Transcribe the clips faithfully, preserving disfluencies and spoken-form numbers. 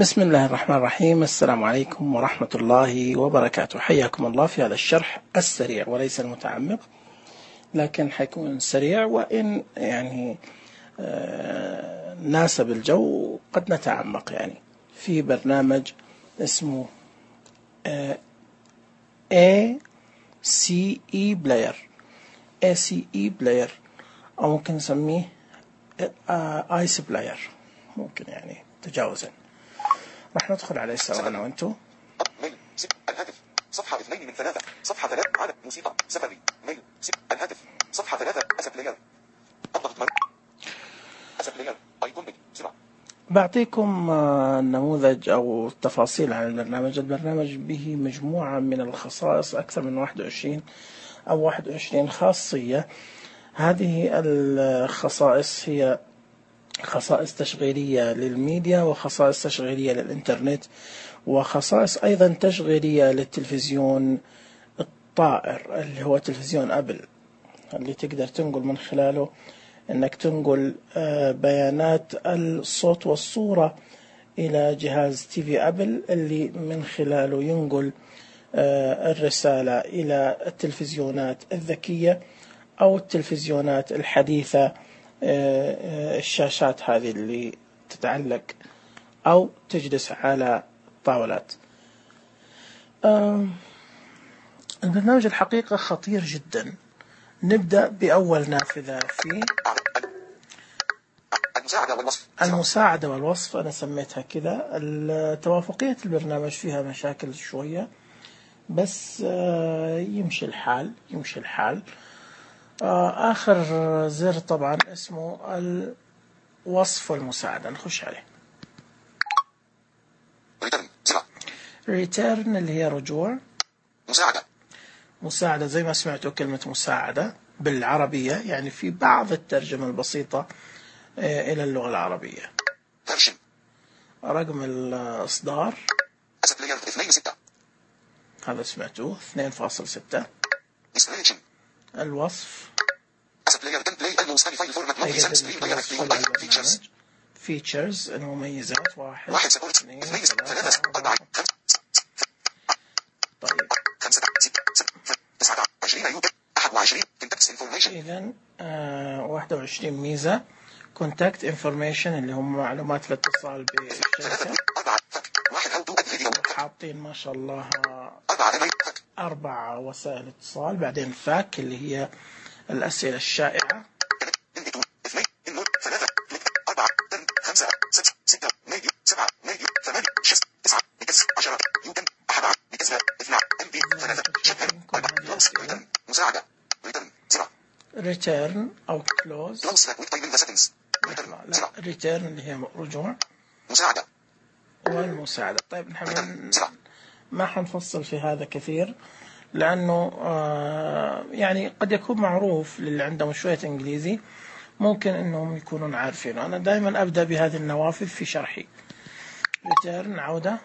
بسم الله الرحمن الرحيم. السلام عليكم ورحمة الله وبركاته. حياكم الله في هذا الشرح السريع وليس المتعمق، لكن حيكون سريع، وإن يعني آه ناسب الجو قد نتعمق. يعني في برنامج اسمه آه إيه سي إي Player إيه سي إي Player، أو ممكن نسميه آه آيس بلاير، ممكن يعني تجاوزا. راح ندخل عليه سوا أنا وأنتو. ميل الهاتف صفحة اثنين من ثلاثة، صفحة ثلاثة عدد موسيقى سفري ميل الهاتف صفحة ثلاثة أسف بلاير أضغط مر أسف بلاير أيقون بي سرعة. بعطيكم نموذج أو تفاصيل عن البرنامج. البرنامج به مجموعة من الخصائص، أكثر من واحد وعشرين أو واحد وعشرين خاصية. هذه الخصائص هي خصائص تشغيلية للميديا، وخصائص تشغيلية للإنترنت، وخصائص أيضا تشغيلية للتلفزيون الطائر اللي هو تلفزيون أبل، اللي تقدر تنقل من خلاله أنك تنقل بيانات الصوت والصورة إلى جهاز تي في أبل، اللي من خلاله ينقل الرسالة إلى التلفزيونات الذكية أو التلفزيونات الحديثة، الشاشات هذه اللي تتعلق أو تجلس على طاولات. البرنامج الحقيقة خطير جدا. نبدأ بأول نافذة فيه، المساعدة والوصف. المساعدة والوصف، أنا سميتها كذا. توافقية البرنامج فيها مشاكل شوية، بس يمشي الحال يمشي الحال. آخر زر طبعا اسمه الوصف والمساعدة، نخش عليه. ريتيرن اللي هي رجوع. مساعدة مساعدة زي ما سمعتوا كلمة مساعدة بالعربية، يعني في بعض الترجمة البسيطة إلى اللغة العربية. ترشم. رقم الإصدار اثنين ستة، هذا سمعتوه اثنين فاصلة ستة. الوصف فيتشرز المميزات واحد اثنين ثلاثة أربعة. طيب إذن آه واحد وعشرين ميزة. كونتاكت انفورميشن اللي هم معلومات الاتصال بالشركة. حاطين ما شاء الله أربع وسائل اتصال. بعدين فاك اللي هي الأسئلة الشائعة. ريتيرن أو كلوز. لا، ريتيرن اللي هي رجوع. مساعدة والمساعدة. طيب نحن ما حنفصل في هذا كثير، لأنه آه يعني قد يكون معروف للي عندهم شوية إنجليزي، ممكن أنهم يكونون عارفينه. أنا دائما أبدأ بهذه النوافذ في شرحي. ريتيرن عودة.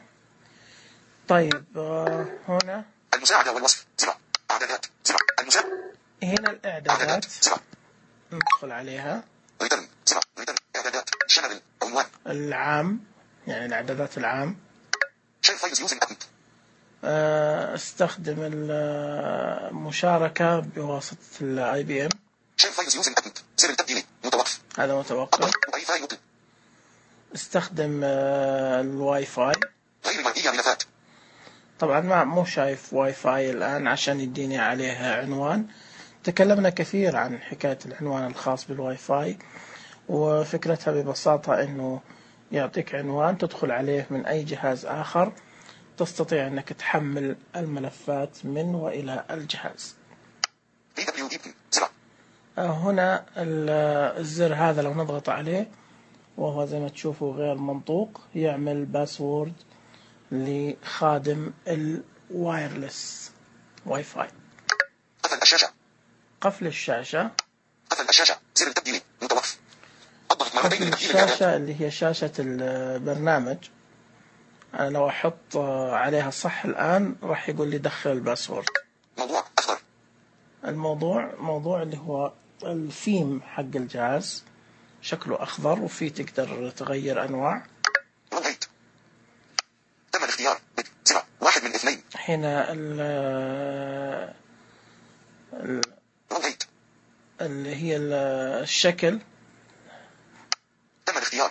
طيب آه هنا المساعدة والوصف زرع إعدادات زرع المساعدة. هنا الإعدادات ندخل عليها. ريتيرن زرع ريتيرن إعدادات شامل عنوان العام، يعني الإعدادات العام. شير فايلز يوزنج أبنت. استخدم المشاركة بواسطة الاي بي ام. شير فايلز يوزنج أبنت. زر التبديل متوقف. هذا متوقف. واي فاي مطلق. استخدم الواي فاي. غير مرئية ملفات. طبعا ما مو شايف واي فاي الآن عشان يديني عليه عنوان. تكلمنا كثير عن حكاية العنوان الخاص بالواي فاي، وفكرتها ببساطة انه يعطيك عنوان تدخل عليه من اي جهاز اخر، تستطيع انك تحمل الملفات من والى الجهاز. هنا الزر هذا لو نضغط عليه، وهو زي ما تشوفوا غير منطوق، يعمل باسورد لخادم الوايرلس واي فاي. قفل الشاشة. قفل الشاشة. قفل الشاشة. زر التبديل متوقف. قفل الشاشة اللي هي شاشة البرنامج. أنا لو أحط عليها صح الآن راح يقول لي دخل الباسورد. موضوع أخضر. الموضوع موضوع اللي هو الثيم حق الجهاز، شكله أخضر، وفيه تقدر تغير أنواع. الاختيار زر واحد من اثنين. هنا ال ال- روتيت. اللي هي ال- الشكل تم الاختيار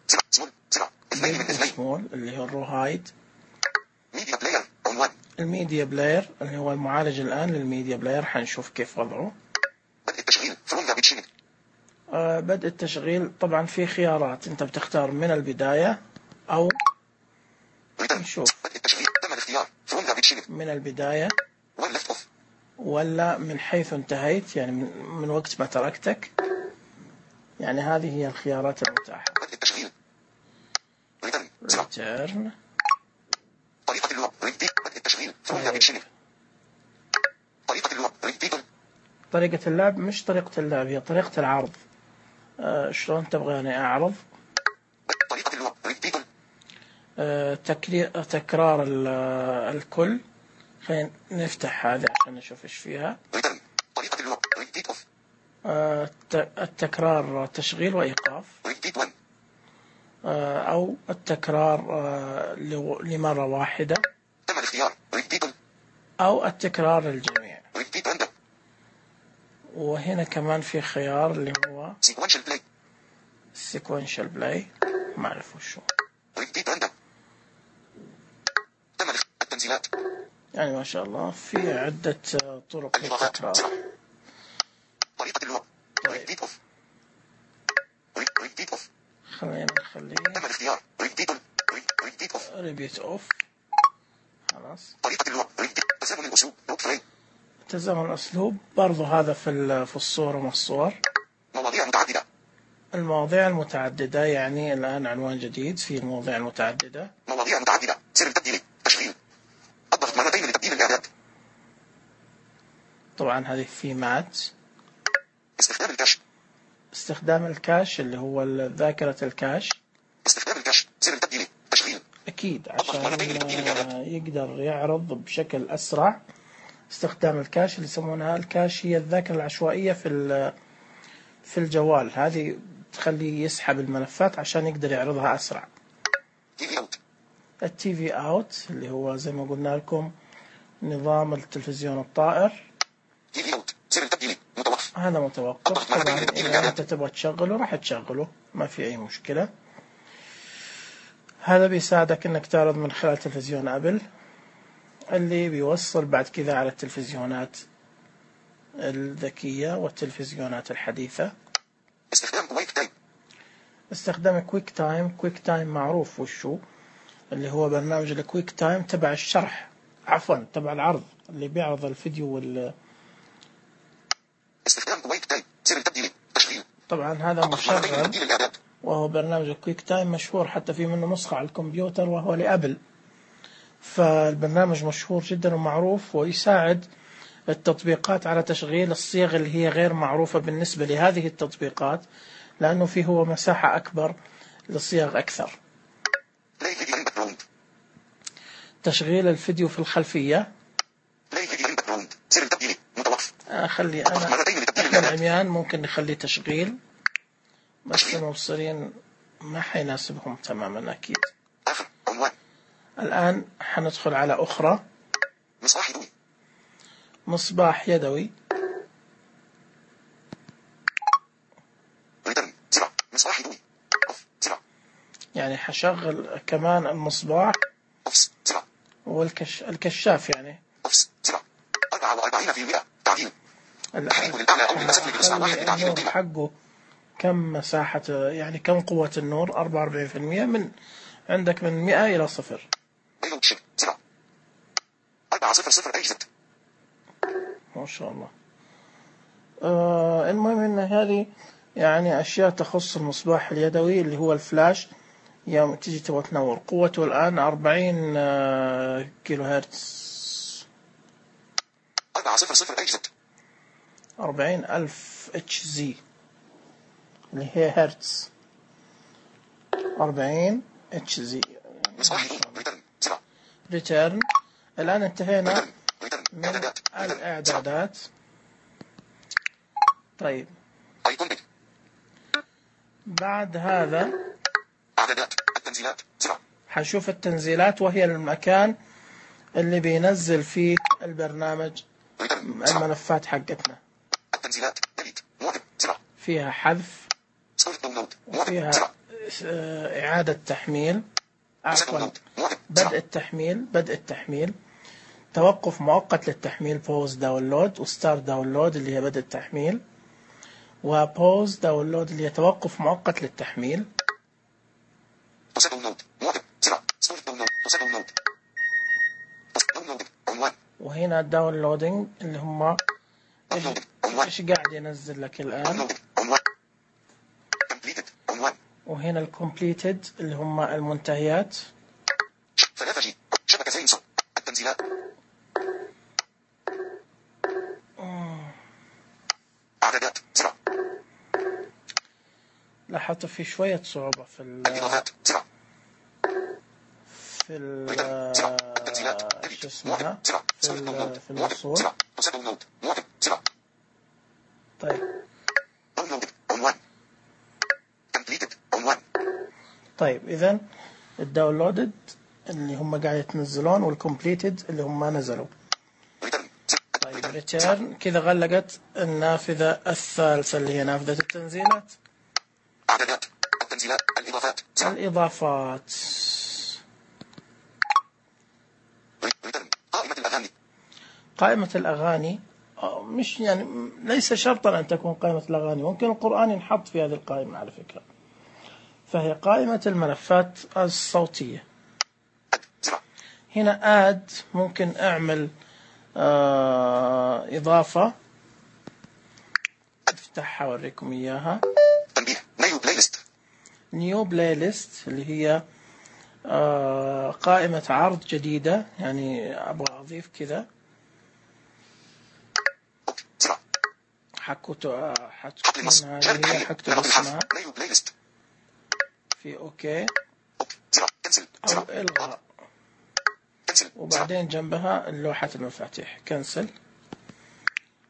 زر سمول زر اثنين من اثنين. سمول اللي هو الرو هايد. ميديا بلاير عنوان. الميديا بلاير اللي هو المعالج الآن للميديا بلاير، حنشوف كيف وضعه. بدء التشغيل فروم ذا بيتشينج. آه بدء التشغيل طبعا في خيارات، انت بتختار من البداية او نشوف بدء التشغيل تم الاختيار فروم ذا بيتشينج. من البداية وان ليفت اوف. ولا من حيث انتهيت، يعني من, من وقت ما تركتك. يعني هذه هي الخيارات المتاحة. بدء التشغيل ريتيرن زر. ريتيرن. طريقة اللغة ريبيت. بدء التشغيل فروم ذا بيتشينج. طريقة اللغة ريبيت. طريقة اللعب مش طريقة اللعب، هي طريقة العرض. آه شلون تبغاني أعرض؟ طريقة اللغة ريبيت. آه تكرير تكرار الكل. خلينا نفتح هذه عشان نشوف ايش فيها. ريتيرن. طريقة اللغة ريبيت اوف. آه التكرار تشغيل وإيقاف. ريبيت واحد. آه أو التكرار آه لمرة واحدة. تم الاختيار ريبيت. أو التكرار للجميع. ريبيت راندوم. وهنا كمان في خيار اللي هو سيكونشال بلاي. سيكونشال بلاي، ما أعرف وشو. ريبيت راندوم. تم التنزيلات. يعني ما شاء الله في عدة طرق للتكرار. طريقة اللغة ريبيت اوف. ريبيت اوف. خلينا نخليه تم الاختيار ريبيت ريبيت اوف. ريبيت اوف. خلاص. طريقة اللغة ريبيت. تزامن الأسلوب نوت فريم. تزامن الأسلوب برضو هذا في في الصورة مع الصور. مواضيع متعددة. المواضيع المتعددة، يعني الآن عنوان جديد في المواضيع المتعددة. مواضيع متعددة. سر التبديل تشغيل. الضغط مرتين لتبديل الإعداد. طبعا هذه في مات. استخدام الكاش. استخدام الكاش اللي هو ذاكرة الكاش. استخدام الكاش. سر التبديل تشغيل. أكيد عشان يقدر يعرض بشكل أسرع. استخدام الكاش اللي يسمونها الكاش هي الذاكرة العشوائية في في الجوال، هذه تخليه يسحب الملفات عشان يقدر يعرضها أسرع. تي في اوت. التي في اوت اللي هو زي ما قلنا لكم نظام التلفزيون الطائر. تي في اوت. سر التبديل متوقف. هذا متوقف. طبعا إذا أنت تبغى تشغله راح تشغله، ما في أي مشكلة. هذا بيساعدك إنك تعرض من خلال تلفزيون أبل اللي بيوصل بعد كذا على التلفزيونات الذكية والتلفزيونات الحديثة. استخدام كويك تايم. استخدام كويك تايم. كويك تايم معروف وشو، اللي هو برنامج الكويك تايم تبع الشرح، عفوا تبع العرض، اللي بيعرض الفيديو وال. استخدام كويك تايم. سر التبديل تشغيل. طبعا هذا مشغل، وهو برنامج الكويك تايم مشهور، حتى في منه نسخة على الكمبيوتر وهو لأبل. فالبرنامج مشهور جدا ومعروف، ويساعد التطبيقات على تشغيل الصيغ اللي هي غير معروفة بالنسبة لهذه التطبيقات، لأنه فيه هو مساحة أكبر لصيغ أكثر. تشغيل الفيديو في الخلفية. أخلي أنا إحنا العميان ممكن نخلي تشغيل، بس المبصرين ما حيناسبهم تماما أكيد. الآن حندخل على أخرى. مصباح يدوي. مصباح يدوي. مصباح يدوي. يعني حشغل كمان المصباح والكش الكشاف يعني. أربعة وأربعين بالمئة تعديل. النور حقه كم مساحة، يعني كم قوة النور؟ أربعة وأربعين بالمئة من عندك من مئة إلى صفر. أربعة صفر صفر أجزت. ما شاء الله. آه المهم إن هذه يعني أشياء تخص المصباح اليدوي اللي هو الفلاش. يوم تيجي تبغى تنور قوته الآن أربعين آه كيلو هرتز. أربعة صفر صفر أجزت. أربعين ألف اتش زي اللي هي هرتز. أربعين اتش زي. ريتيرن. الآن انتهينا من الإعدادات. طيب بعد هذا إعدادات التنزيلات. حنشوف التنزيلات وهي المكان اللي بينزل فيه البرنامج الملفات حقتنا. التنزيلات ديليت موقف زر فيها حذف وفيها إعادة تحميل، عفوا بدء التحميل بدء التحميل توقف مؤقت للتحميل pause داونلود، وستارت داونلود اللي هي بدء التحميل، وبوز داونلود اللي هي توقف مؤقت للتحميل. وهنا داونلودينج اللي هم ايش ايش قاعد ينزل لك الآن. وهنا الكومبليتد اللي هم المنتهيات. ثلاثة جي شبكتين صوت التنزيلات. اعدادات زر. لاحظت في شوية صعوبة في ال في ال شو اسمها في في الوصول. طيب طيب إذن الداونلودد اللي هم قاعد يتنزلون والكومبليتد اللي هم ما نزلوا. طيب ريتيرن كذا غلقت النافذة الثالثة اللي هي نافذة التنزيلات. اعدادات التنزيلات الاضافات الاضافات. قائمة الاغاني. قائمة الاغاني مش يعني ليس شرطا ان تكون قائمة الاغاني، ممكن القرآن ينحط في هذه القائمة على فكرة. فهي قائمة الملفات الصوتية. هنا آد ممكن أعمل آه إضافة، أفتحها أوريكم إياها. تنبيه نيو بلاي ليست. نيو بلاي ليست اللي هي آه قائمة عرض جديدة، يعني أبغى أضيف كذا. حكوت حتكون هذه هي حكتب اسمها في أوكي أو إلغاء، وبعدين جنبها لوحة المفاتيح كنسل.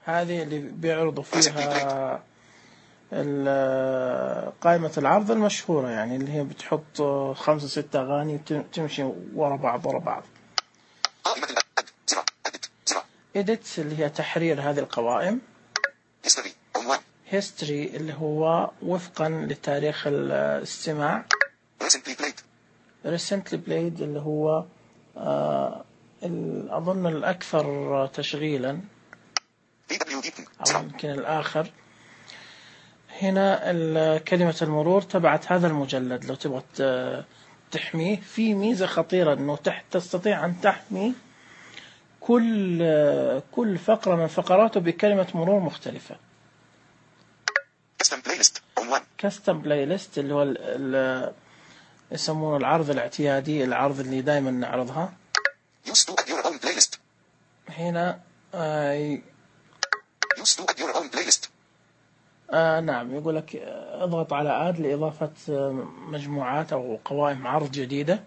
هذه اللي بيعرضوا فيها قائمة العرض المشهورة، يعني اللي هي بتحط خمسة ستة أغاني تمشي ورا بعض ورا بعض. إديت اللي هي تحرير هذه القوائم. هيستوري اللي هو وفقا لتاريخ الاستماع. recently played اللي هو آه أظن الأكثر تشغيلا أو يمكن الآخر. هنا كلمة المرور تبعت هذا المجلد، لو تبغى تحميه في ميزة خطيرة أنه تحت تستطيع أن تحمي كل كل فقرة من فقراته بكلمة مرور مختلفة. كاستم بلاي ليست اللي هو ال يسمونه العرض الاعتيادي، العرض اللي دائما نعرضها. هنا آه آه نعم يقول لك اضغط على آد لإضافة مجموعات أو قوائم عرض جديدة.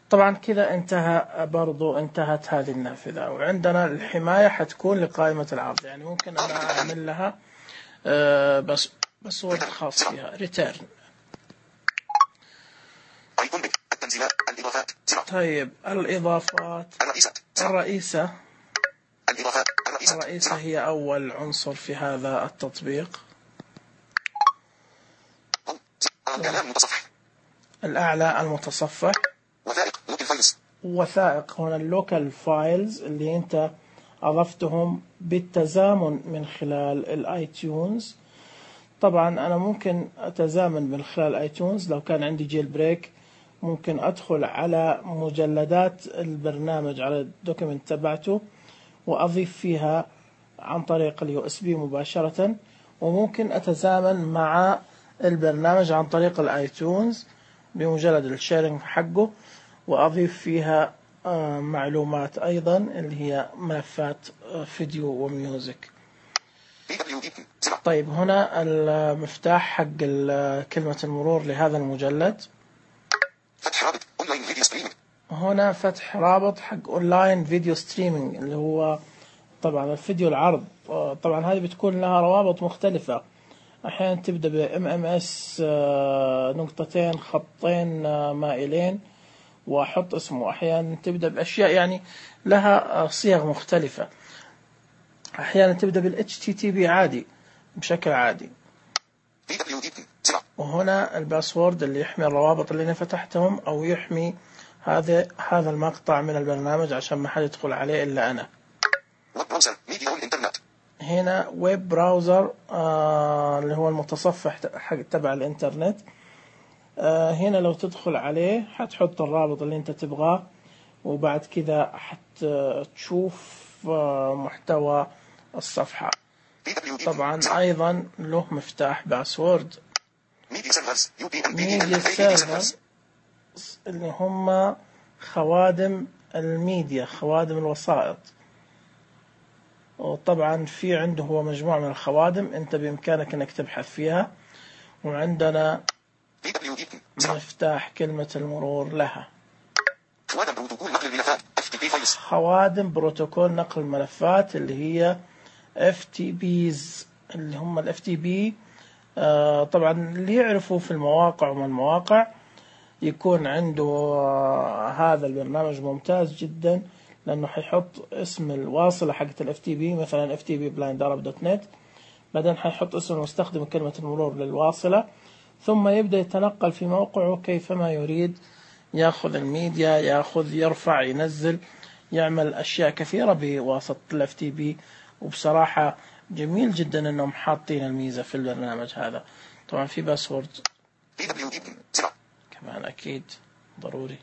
طبعا كذا انتهى برضو انتهت هذه النافذة. وعندنا الحماية حتكون لقائمة العرض، يعني ممكن أنا أعمل لها آه بس باسورد خاص فيها. ريتيرن. طيب الإضافات. الرئيسة. الرئيسة هي أول عنصر في هذا التطبيق. الأعلى المتصفح. وثائق هنا اللوكال فايلز اللي أنت أضفتهم بالتزامن من خلال الآي تيونز. طبعا أنا ممكن أتزامن من خلال آي تيونز لو كان عندي جيل بريك، ممكن أدخل على مجلدات البرنامج على الدوكيمنت تبعته وأضيف فيها عن طريق اليو اس بي مباشرة، وممكن أتزامن مع البرنامج عن طريق الايتونز بمجرد الشيرنج حقه وأضيف فيها معلومات أيضا اللي هي ملفات فيديو وميوزك. طيب هنا المفتاح حق كلمة المرور لهذا المجلد. فتح رابط اونلاين فيديو ستريمينج. هنا فتح رابط حق اونلاين فيديو ستريمينج اللي هو طبعا الفيديو العرض. طبعا هذه بتكون لها روابط مختلفة أحيانا تبدأ ب إم إم إس نقطتين خطين مائلين وأحط اسمه. أحيانا تبدأ بأشياء يعني لها صيغ مختلفة. أحيانا تبدأ بال إتش تي تي بي عادي بشكل عادي. وهنا الباسورد اللي يحمي الروابط اللي أنا فتحتهم أو يحمي هذا هذا المقطع من البرنامج عشان ما حد يدخل عليه إلا أنا. هنا ويب براوزر آه اللي هو المتصفح حق تبع الإنترنت. آه هنا لو تدخل عليه حتحط الرابط اللي أنت تبغاه، وبعد كذا حتشوف آه محتوى الصفحة. طبعا أيضا له مفتاح باسورد. ميديا سيرفر اللي هم خوادم الميديا، خوادم الوسائط. وطبعا في عنده هو مجموعة من الخوادم انت بامكانك انك تبحث فيها. وعندنا مفتاح كلمة المرور لها. خوادم بروتوكول نقل الملفات اللي هي إف تي بيز، اللي هم ال إف تي بي. آه طبعا اللي يعرفوا في المواقع وما المواقع يكون عنده آه هذا البرنامج ممتاز جدا، لأنه حيحط اسم الواصلة حقت ال إف تي بي، مثلا إف تي بي بلايند عرب دوت نت، بعدين حيحط اسم المستخدم كلمة المرور للواصلة، ثم يبدأ يتنقل في موقعه كيفما يريد، يأخذ الميديا، يأخذ يرفع ينزل، يعمل أشياء كثيرة بواسطة ال إف تي بي. وبصراحة جميل جدا أنهم حاطين الميزة في البرنامج هذا. طبعا في باسورد كمان أكيد ضروري.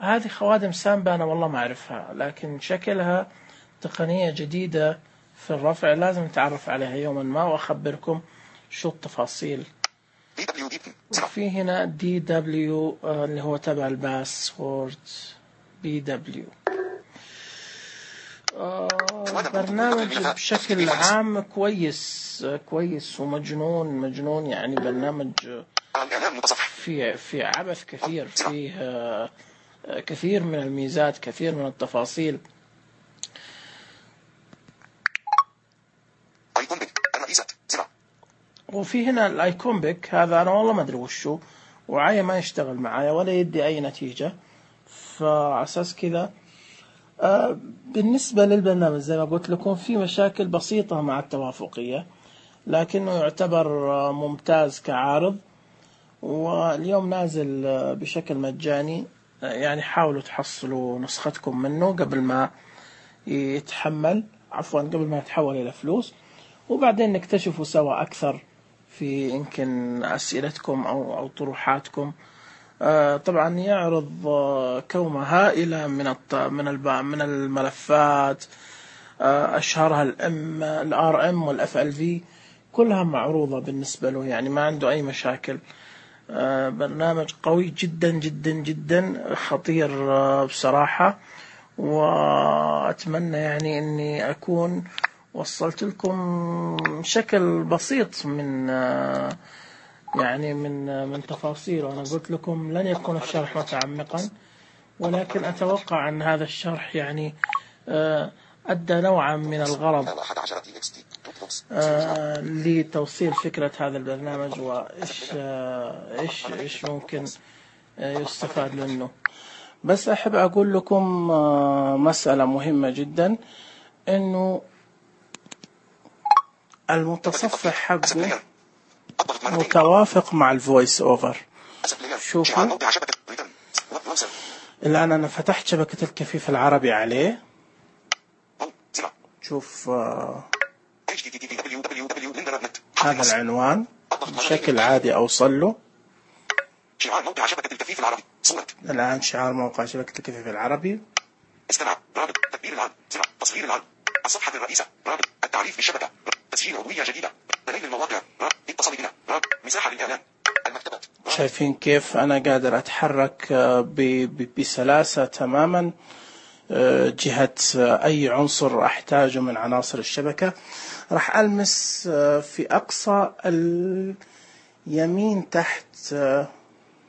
هذه خوادم سامبا أنا والله ما أعرفها، لكن شكلها تقنية جديدة في الرفع، لازم نتعرف عليها يوما ما وأخبركم شو التفاصيل. وفي هنا دي دبليو اللي هو تبع الباسورد بي دبليو. برنامج بشكل عام كويس كويس ومجنون مجنون، يعني برنامج في في عبث كثير، فيه كثير من الميزات، كثير من التفاصيل. وفي هنا الايكون بيك، هذا انا والله ما ادري وشو، وعاية ما يشتغل معايا ولا يدي اي نتيجة، فعساس كذا آه بالنسبة للبرنامج زي ما قلت لكم في مشاكل بسيطة مع التوافقية، لكنه يعتبر ممتاز كعارض، واليوم نازل بشكل مجاني. يعني حاولوا تحصلوا نسختكم منه قبل ما يتحمل، عفوا قبل ما يتحول إلى فلوس، وبعدين نكتشفوا سوا أكثر في يمكن أسئلتكم أو أو طروحاتكم. آه طبعا يعرض آه كومة هائلة من الط... من الب... من الملفات، آه أشهرها الام الار ام والاف ال في، كلها معروضة بالنسبة له، يعني ما عنده أي مشاكل. آه برنامج قوي جدا جدا جدا، خطير آه بصراحة. وأتمنى يعني أني أكون وصلت لكم شكل بسيط من آه يعني من من تفاصيل. وأنا قلت لكم لن يكون الشرح متعمقا، ولكن أتوقع أن هذا الشرح يعني آه أدى نوعا من الغرض آه لتوصيل فكرة هذا البرنامج، وإيش آه إيش إيش ممكن آه يستفاد منه. بس أحب أقول لكم آه مسألة مهمة جدا، إنه المتصفح حقه متوافق مع الفويس أوفر. شوفوا الآن أنا فتحت شبكة الكفيف العربي عليه، شوف آه هذا العنوان بشكل عادي أوصل له. شعار موقع شبكة الكفيف العربي صورة. الآن شعار موقع شبكة الكفيف العربي. استمع رابط تدبير العرض تصوير العرض الصفحة الرئيسة رابط التعريف بالشبكة تسجيل عضوية جديدة دليل المواقع اتصل بنا مساحة للإعلان المكتبات. شايفين كيف أنا قادر أتحرك بسلاسة تماما جهة أي عنصر أحتاجه من عناصر الشبكة. راح ألمس في أقصى اليمين تحت،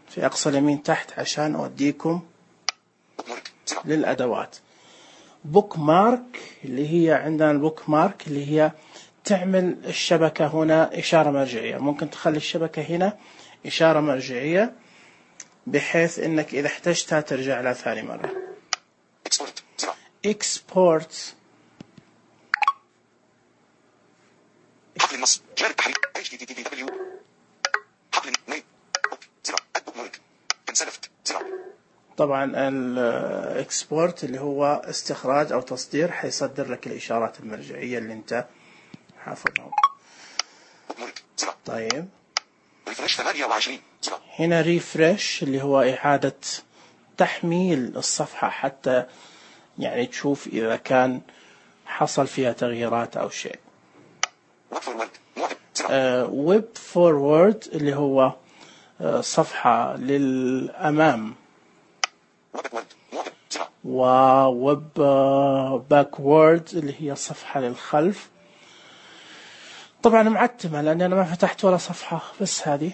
في أقصى اليمين تحت عشان أوديكم للأدوات. بوك مارك اللي هي عندنا البوك مارك اللي هي تعمل الشبكة هنا إشارة مرجعية. ممكن تخلي الشبكة هنا إشارة مرجعية بحيث إنك إذا احتجتها ترجع لها ثاني مرة. export حقل النص جار التحريك اتش تي تي بي دبليو حقل ميل زر ادبوك مورك انسلفت زر. طبعا الاكسبورت اللي هو استخراج او تصدير، حيصدر لك الاشارات المرجعيه اللي انت حافظها. طيب ريفرش ثمانية وعشرين زر. هنا ريفرش اللي هو اعاده تحميل الصفحه حتى يعني تشوف اذا كان حصل فيها تغييرات او شيء. ويب فورورد اللي هو صفحة للأمام، وويب باكورد اللي هي صفحة للخلف. طبعا معتمة لأني أنا ما فتحت ولا صفحة، بس هذه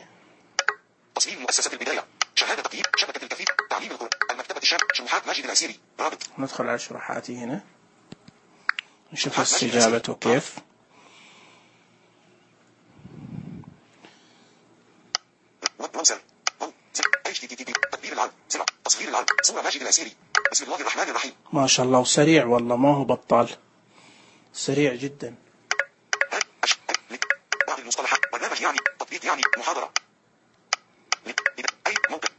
تصميم مؤسسة البداية، شهادة تقييم، شبكة الكفيف، تعليم القرآن، المكتبة الشام، شروحات ماجد العسيري، رابط. ندخل على شروحاتي هنا نشوف استجابته كيف. تدبير العرض، تصوير العرض، صورة ماجد العسيري. بسم الله الرحمن الرحيم. ما شاء الله، وسريع والله، ما هو بطال، سريع جدا. بعض المصطلحات، برنامج يعني، تطبيق يعني، محاضرة. أي موقع.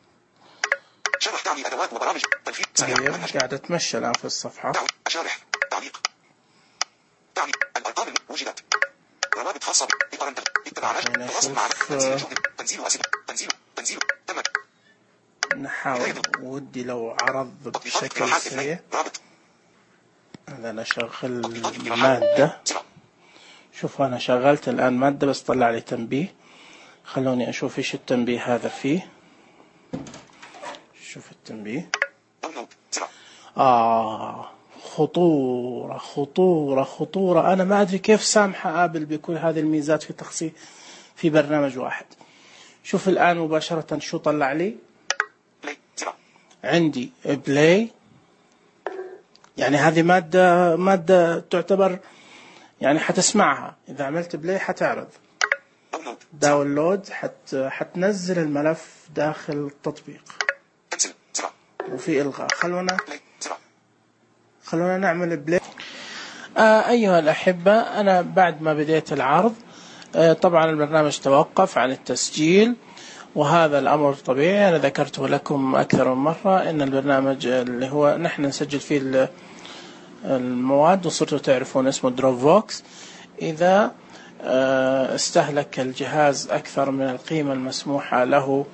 شرح تعني أدوات وبرامج، تنفيذ سريع. قاعد أتمشى الآن في الصفحة. أشارح، تعليق. تعني الأرقام وجدت. روابط خاصة بإطار التواصل مع تنزيل تنزيل أسئلة تنزيل تنزيل تمت. نحاول ودي لو عرض بشكل سريع. هذا أنا شغل مادة. شوف أنا شغلت الآن مادة بس طلع لي تنبيه. خلوني أشوف إيش التنبيه هذا فيه. شوف التنبيه. آه خطورة خطورة خطورة. أنا ما أدري كيف سامحة آبل بكل هذه الميزات في تخصيص في برنامج واحد. شوف الآن مباشرة شو طلع لي. عندي بلاي، يعني هذه مادة مادة تعتبر يعني حتسمعها. إذا عملت بلاي حتعرض. داونلود حت حتنزل الملف داخل التطبيق. وفي إلغاء. خلونا خلونا نعمل بلاي. آه أيها الأحبة، أنا بعد ما بديت العرض آه طبعا البرنامج توقف عن التسجيل، وهذا الأمر طبيعي. أنا ذكرته لكم أكثر من مرة إن البرنامج اللي هو نحن نسجل فيه المواد وصرتوا تعرفون اسمه دروبفوكس، إذا استهلك الجهاز أكثر من القيمة المسموحة له،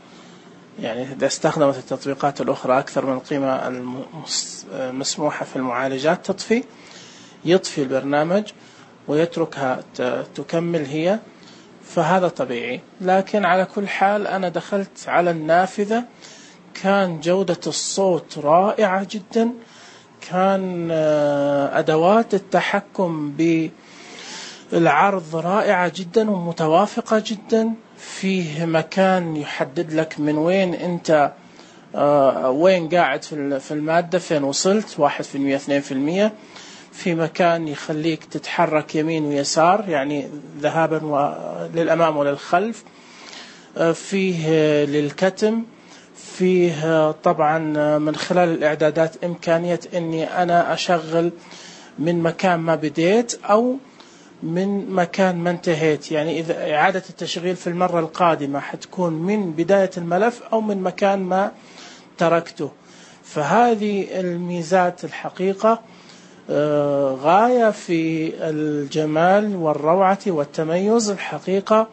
يعني إذا استخدمت التطبيقات الأخرى أكثر من القيمة المسموحة في المعالجات تطفي يطفي البرنامج ويتركها تكمل هي، فهذا طبيعي. لكن على كل حال أنا دخلت على النافذة، كان جودة الصوت رائعة جدا، كان أدوات التحكم بالعرض رائعة جدا ومتوافقة جدا. فيه مكان يحدد لك من وين أنت وين قاعد في المادة، فين وصلت، واحد في المية اثنين في المية. في مكان يخليك تتحرك يمين ويسار، يعني ذهابا للأمام وللخلف. فيه للكتم، فيه طبعا من خلال الإعدادات إمكانية أني أنا أشغل من مكان ما بديت أو من مكان ما انتهيت. يعني إذا إعادة التشغيل في المرة القادمة حتكون من بداية الملف أو من مكان ما تركته. فهذه الميزات الحقيقة غاية في الجمال والروعة والتميز الحقيقة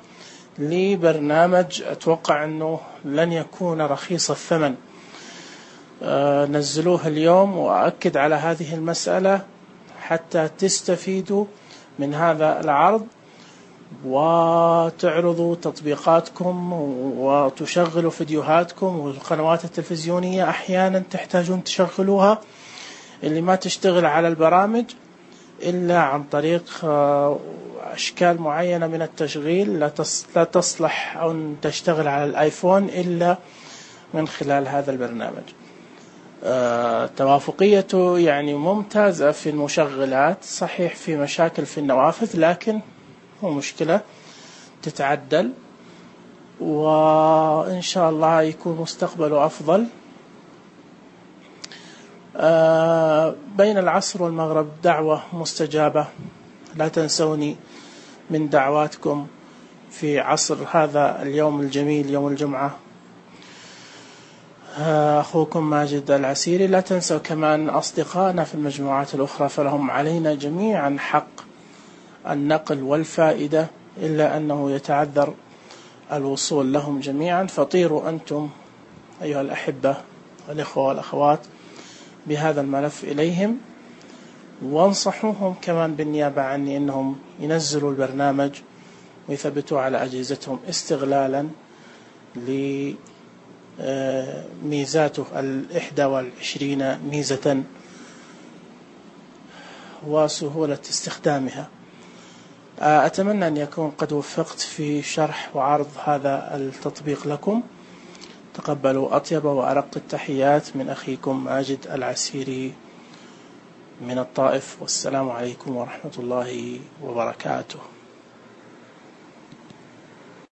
لبرنامج أتوقع أنه لن يكون رخيص الثمن. نزلوه اليوم، وأؤكد على هذه المسألة حتى تستفيدوا من هذا العرض وتعرضوا تطبيقاتكم وتشغلوا فيديوهاتكم، والقنوات التلفزيونية أحيانا تحتاجون تشغلوها اللي ما تشتغل على البرامج إلا عن طريق أشكال معينة من التشغيل، لا تصلح أو تشتغل على الآيفون إلا من خلال هذا البرنامج. توافقيته يعني ممتازة في المشغلات، صحيح في مشاكل في النوافذ، لكن مو مشكلة، تتعدل، وإن شاء الله يكون مستقبله أفضل. بين العصر والمغرب دعوة مستجابة، لا تنسوني من دعواتكم في عصر هذا اليوم الجميل يوم الجمعة. أخوكم ماجد العسيري. لا تنسوا كمان أصدقائنا في المجموعات الأخرى، فلهم علينا جميعا حق النقل والفائدة، إلا أنه يتعذر الوصول لهم جميعا. فطيروا أنتم أيها الأحبة والإخوة والأخوات بهذا الملف إليهم، وانصحوهم كمان بالنيابة عني أنهم ينزلوا البرنامج ويثبتوا على أجهزتهم استغلالا لميزاته الإحدى والعشرين ميزة وسهولة استخدامها. أتمنى أن يكون قد وفقت في شرح وعرض هذا التطبيق لكم. تقبلوا أطيب وأرق التحيات من أخيكم ماجد العسيري من الطائف، والسلام عليكم ورحمة الله وبركاته.